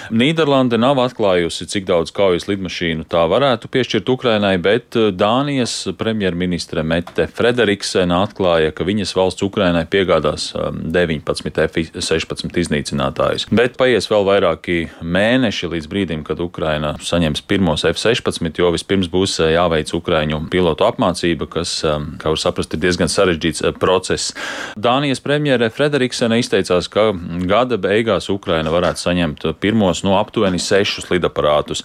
Nīderlande nav atklājusi, cik daudz kaujas lidmašīnu tā varētu piešķirt Ukrainai, bet Dānijas premjerministre Mette Frederiksena atklāja, ka viņas valsts Ukrainai piegādās 19 F-16 iznīcinātājus. Bet paies vēl vairāki mēneši līdz brīdim, kad Ukraina saņems pirmos F-16, jo vispirms būs jāveic ukraiņu pilotu apmācība, kas, kā var saprast, ir diezgan sarežģīts process. Dānijas premjere Frederiksena izteicās, ka gada beigās Ukraina varētu saņemt pirmos aptuveni 6 lidaparātus.